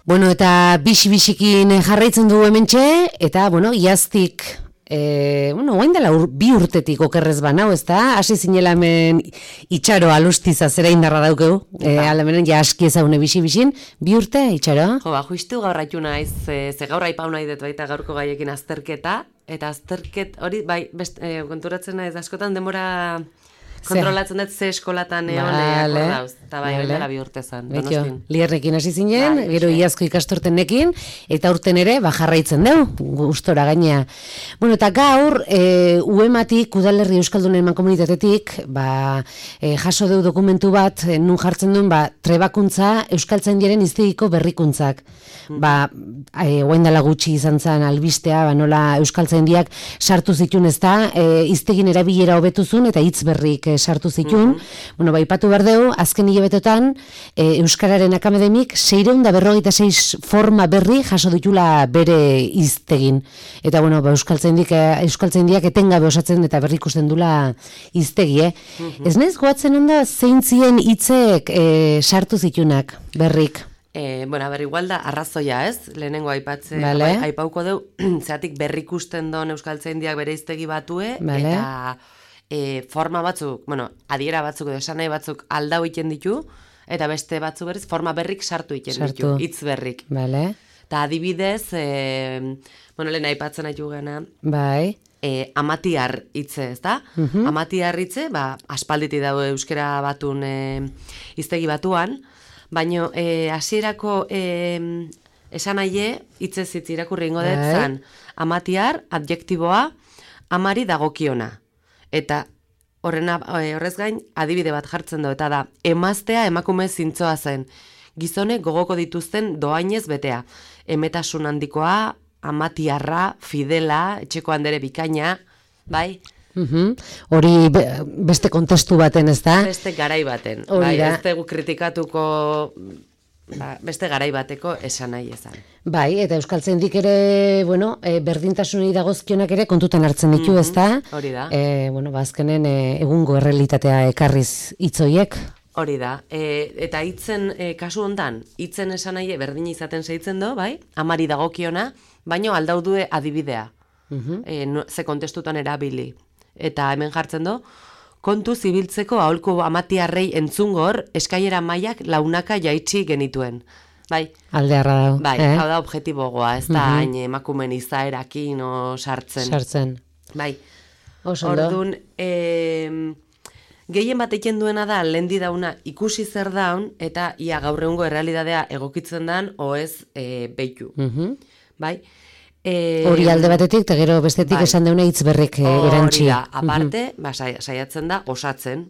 Bueno, eta bixi-bixikin jarraitzen du hementxe, eta, bueno, iaztik, oain dela bi urtetik okerrez banau, ez da? Hasi zinela hemen itxaro alustiza zera indarra daukeu, alamenen ja aski ezagune bixi-bixin, bi urte itxaro? Jo, justu gaur haitu naiz, ze gaur aipau nahi dut baita gaurko gaiekin azterketa, eta azterket hori, bai, konturatzen naiz askotan demora... Kontrolatzen dut ze eskolatan egon dauz, eta bai, dela bi urte zan. Lierrekin hasi zinen, gero iazko ikastortenekin, eta urten ere, jarraitzen deu, gustora gainea. Bueno, eta gaur, UEMatik, Udalerri Euskaldunen Mankomunitatetik, jaso deu dokumentu bat, nun jartzen duen, trebakuntza Euskaltzaindiaren hiztegiko berrikuntzak. Oain dela gutxi izan zen albistea, nola Euskaltzaindiak sartu zituen ez da, hiztegin erabilera hobetuzun, eta hitz berrik sartu zituen. Bueno, aipatu behar dugu, azken hilabetotan Euskararen Akademik 656 forma berri jaso ditula bere hiztegin. Eta, bueno, Euskaltzaindiak etengabe osatzen eta berri ikusten dula hiztegi, Ez naiz goatzen onda zeintzien hitzek sartu zituenak berrik? Bueno, igual da arrazoia, ez? Lehenengo aipauko deu, zeatik berri ikusten don Euskaltzaindiak bere hiztegi batue, eta forma batzuk, adiera batzuk edo esan nahi batzuk aldau iten ditu, eta beste batzuk berriz forma berrik sartu iten ditu, hitz berrik. Eta adibidez, lehen aipatzen haitu gana, amatiar hitze, ez da? Amatiar hitze, aspalditi dago euskera batun hiztegi batuan, baina hasierako esan nahi hitzez hitz irakurri ingo dut zan, amatiar, adjektiboa, amari dagokiona. Eta horrez gain adibide bat jartzen du, eta da, emaztea emakume zintzoa zen, gizone gogoko dituzten doainez betea, emetasun handikoa, amatiarra, fidela, etxeko handere bikaina, bai? Hori beste kontestu baten, ez da? Beste garai baten, ez dugu kritikatuko... beste garai bateko esan nahi ezan. Bai, eta Euskaltzaindik ere, berdintasunei dagozkionak ere kontutan hartzen ditu, ez da? Hori da. Azkenen egungo errealitatea ekarriz hitzoiek. Hori da. Eta hitzen, kasu hontan, hitzen esan nahi berdin izaten zeitzen do, bai? Amari dagokiona, baino aldaudue adibidea. Ze kontestutan erabili. Eta hemen jartzen do, kontu zibiltzeko aholku amatiarrei entzungor, eskailera mailak launaka jaitsi genituen. Bai. Aldearra dago. Bai, hau da objetibogoa, ez da hain emakumen izaerakin sartzen. Bai. Orduan, gehien bat egin duena da, lehendi dauna ikusi zer daun, eta ia gaur egungo errealidadea egokitzen dan, oez behitu. Bai. Hori alde batetik, eta gero bestetik esan deuna hitz berrik erantzi. Hori da, aparte, saiatzen da osatzen.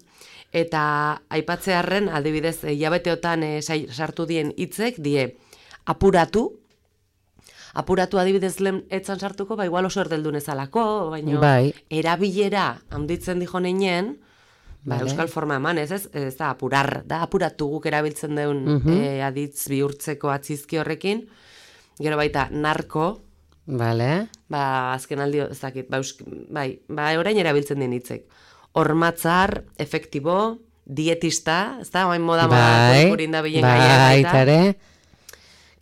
Eta aipatzearren, adibidez, hilabeteotan sartu dien hitzek, die apuratu adibidez lehen etzan sartuko, igual oso erdeldun ezalako, baina erabilera handitzen dijo neinen, euskal forma eman, ez da apurar, da apuratu guk erabiltzen deun aditz bihurtzeko atzizki horrekin, gero baita narko, azken aldi, ez dakit, orain erabiltzen den hitzek. Hormatzar, efektibo, dietista, ez da, oain moda kurkurin da bilen gaia.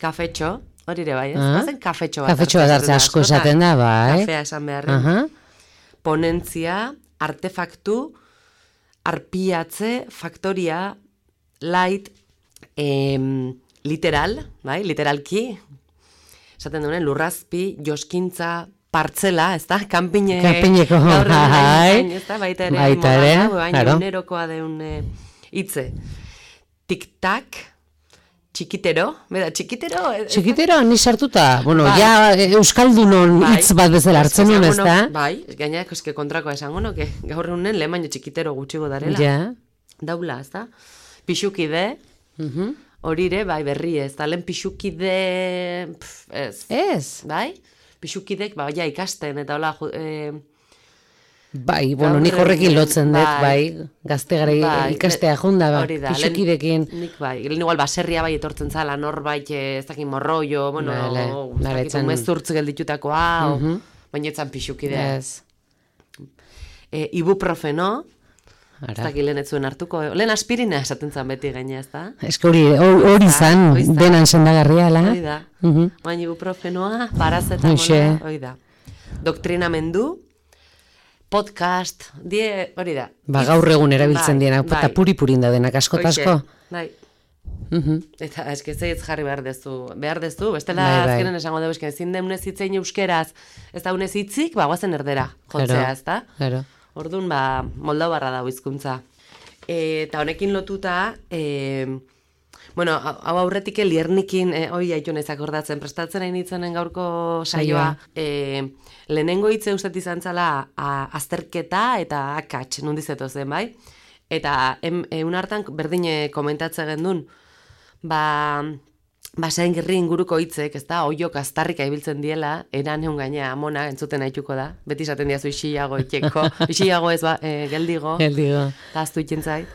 Kafetxo, hori ere bai, ez? Bazen kafetxo bat. Kafetxo bat hartza asko esaten da, bai. Kafea esan beharren. Ponentzia, artefaktu, arpiatze, faktoria, light, literal, bai, literalki, esaten duen, lurrazpi, joskintza, partzela, ez da, kanpineko, baita ere, egunerokoa deun hitze. Tik-tak, txikitero, Txikitero, ni sartuta, ja Euskaldunon hitz bat bezala hartzen nuen, ez da? Bai, gaina eske kontrakoa esango, gaur egunen lehen baino txikitero gutxigo darela. Daula, ez da? Pixukide, horire, bai, berri ez, da lehen pixukide, ez. Ez? Bai, pixukidek, ja, ikasten, eta hola, bai, bueno, nik horrekin lotzen dut, bai, gazte gara ikastea junda, pixukidekin. Nik bai, igual baserria bai etortzen zala, norbait, ez dakin morroio, bueno, ez dakin mezurtz gelditutakoa, baina etzan pixukidea. Ibuprofeno, ez dakit lehen ez zuen hartuko, lehen aspirina esaten zan beti gaina, ez da? Ez que hori zan, denan sendagarria, la? Hori da, baina ibuprofenoa, parazetamona, hori da. Doktrinamendu, podcast, hori da. Ba, gaur egun erabiltzen diena, eta puri-purin da denak asko-tasko. Bai. Eta eske zeiz jarri behar dezu, bestela azkenen esango dugu, eske ezin deunez hitzein euskeraz, ez da unez hitzik, guazen erdera, jotzea, ez da? Orduan, moldau barra dago hizkuntza. Eta honekin lotuta, bueno, hau aurretik liernikin, hoi haitu nezak ordatzen, prestatzen hain itzenen gaurko saioa, lehenengo hitze ustet izan zala azterketa eta akats, nundizetoz den, bai? Eta egun hartan berdine komentatzen gendun, zain gerri inguruko hitzek, ez da, oiok aztarrika ibiltzen diela, eran egun gaina amona entzuten haituko da, beti esaten diazu isiago itxeko, isiago ez geldigo, eta aztu itxentzait.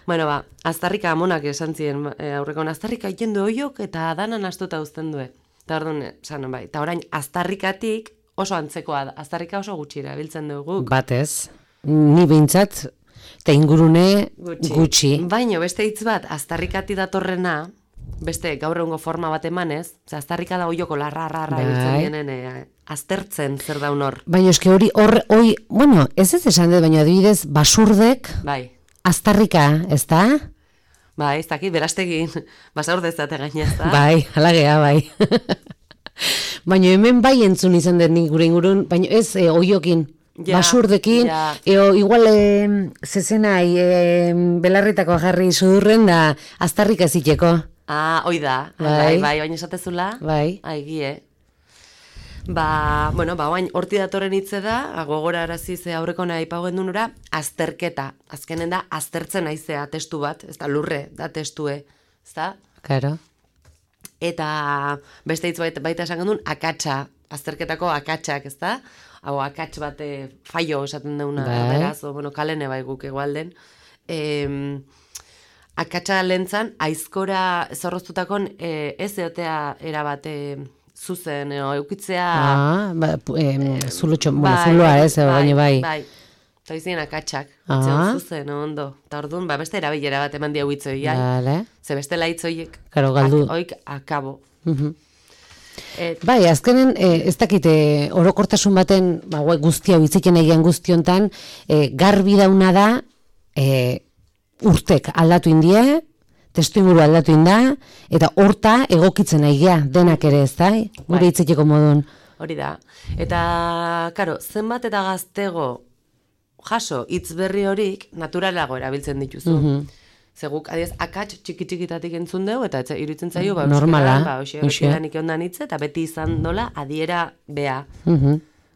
Bueno, aztarrika amonak esan ziren aurrekon, aztarrika ikendu oiok eta danan astuta uzten due. Eta orduan, esan bai, eta orain aztarrikatik oso antzekoa da, aztarrika oso gutxira biltzen dugu. Batez, ni behintzat, eta ingurune gutxi. Baina beste hitz bat, aztarrikati datorrena, beste gaur egungo forma bat emanez, aztarrika da oioko larra biltzen dienen, aztertzen zer daun hor. Baina eske hori, bueno, ez esan dut, baina adibidez, basurdek, aztarrika, ez da? Bai, ez dakit, berastegin, basaurde ez date gaina, ez da? Bai, halagea, bai. Baina hemen bai entzun izan dut nik gure ingurun, baina ez oiokin, basurdekin, igual zezenai belarritako jarri sudurren da aztarrika ziteko. Oi da, bai, baina esatezula, gie. Bueno, bain horti datoren hitze da, gogora araziz aurreko nahi pauen dunura, azterketa. Azkenen da, aztertzen aizea testu bat, ez da lurre, da testue, ez da? Claro. Eta beste hitz baita esan gendun, akatsa, azterketako akatsak, ez da? Hau, akats bat faio esaten deuna, beraz, bueno, kalene bai guk egualden. Akatsa lehentzan, aizkora zorroztutakon ez eotea erabate zuzen, eukitzea... zuloa ez, baina bai. Bai, eta izien akatsak, zuzen, ondo. Eta orduan, beste erabilera bat eman diau hitzoi, ze bestela hitzoiek, oik akabo. Bai, azkenen, ez dakite, orokortasun baten, guztia, bitziken egian guztiontan, garbi dauna da, urtek aldatu indie, testu inguru aldatu inda, eta horta egokitzen aigea, denak ere ez da, gure hitzekiko modun. Hori da. Eta, karo, zenbat eta gaztego jaso hitz berri horik naturalago erabiltzen dituzu. Zeguk, adiez, akats txiki-txikitatik entzun dugu, eta iruditzen zaio, normala, beti ondan hitz, eta beti izan dola adiera bea.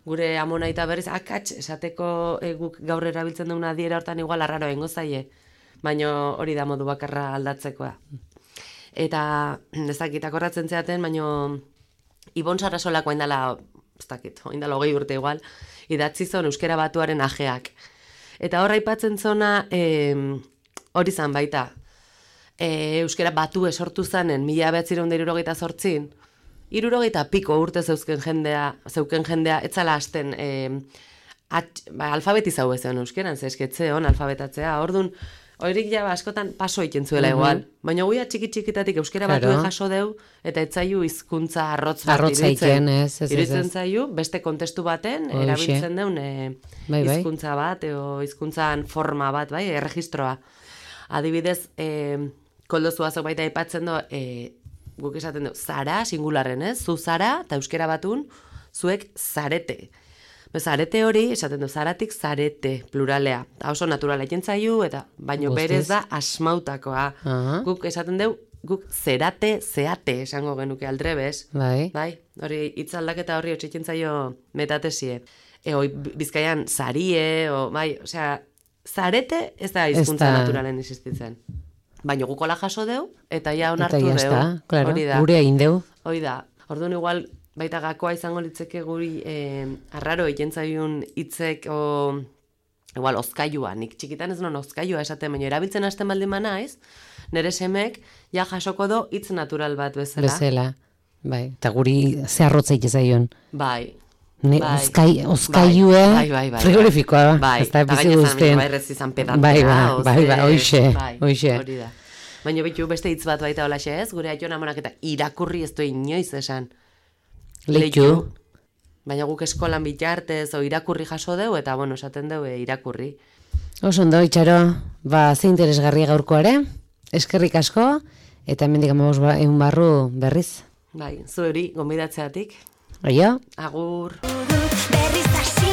Gure amonaita berriz, akats esateko guk gaur erabiltzen duguna adiera hortan igual arraro egingo zaie. Baina hori da modu bakarra aldatzekoa. Eta, ez dakit, akordatzen zeaten, baina Ibon Sarasolako oindala, ez dakit, oindala 20 urte igual, idatzi zon Euskara Batuaren ajeak. Eta horra aipatzen zona, hori zan baita, Euskara Batu esortu zanen, 1978, 60 piko urte zeuken jendea, etzala hasten alfabetizau ezean euskeran, zesketze hon alfabetatzea, orduan, horik ja askotan paso egiten zuela igual. Baina guia txiki-txikitatik euskera batuen jaso deu, eta etzaiu hizkuntza arrotz bat iruditzen zaiu, beste kontestu baten, erabiltzen deun hizkuntza bat, edo hizkuntzan forma bat, bai, erregistroa. Adibidez, koldo zuazok baita aipatzen do, guk esaten du, zara, singularren, zu zara, eta euskera batun, zuek zarete. Zarete hori, esaten du, zaratik zarete, pluralea. Eta oso naturala ikentzaiu, eta baino berez da asmautakoa. Guk esaten du, guk zerate, zeate, esango genuke aldrebes. Bai, hori hitzaldaketa horri otxikentzaio metatesie. Bizkaian zarie, bai, osea, zarete ez da hizkuntza naturalen existitzen. baina gukola jaso deu, eta ja onartu deu. Eta jazta, claro, gure egin deu. Hoi da, orduan igual, baita gakoa izango litzeke guri arraro egentzaiun hitzek igual ozkailua, nik txikitan ez non ozkailua esaten, baina erabiltzen hasten baldin naiz, nire semek ja jasoko do hitz natural bat bezala. Bezala, bai, eta guri zeharrotzeik ezaion. Bai. Ozkailue frigorifikoa, ez da bizi guztien. Bai, rez izan pedantea. Bai, hoxe. Hori da. Baina bitu beste hitz bat baita holaxe ez, gure aion amonak eta irakurri ez du inoiz esan. Leitu. Baina guk eskolan bitartez o irakurri jaso deu, eta bueno, esaten deu irakurri. Oso ondo, Itxaro, ze interesgarria gaurkoare, eskerrik asko, eta hemendik 15 barru berriz. Bai, zuri, gonbidatzeatik. Aio. Agur. Berriz hasi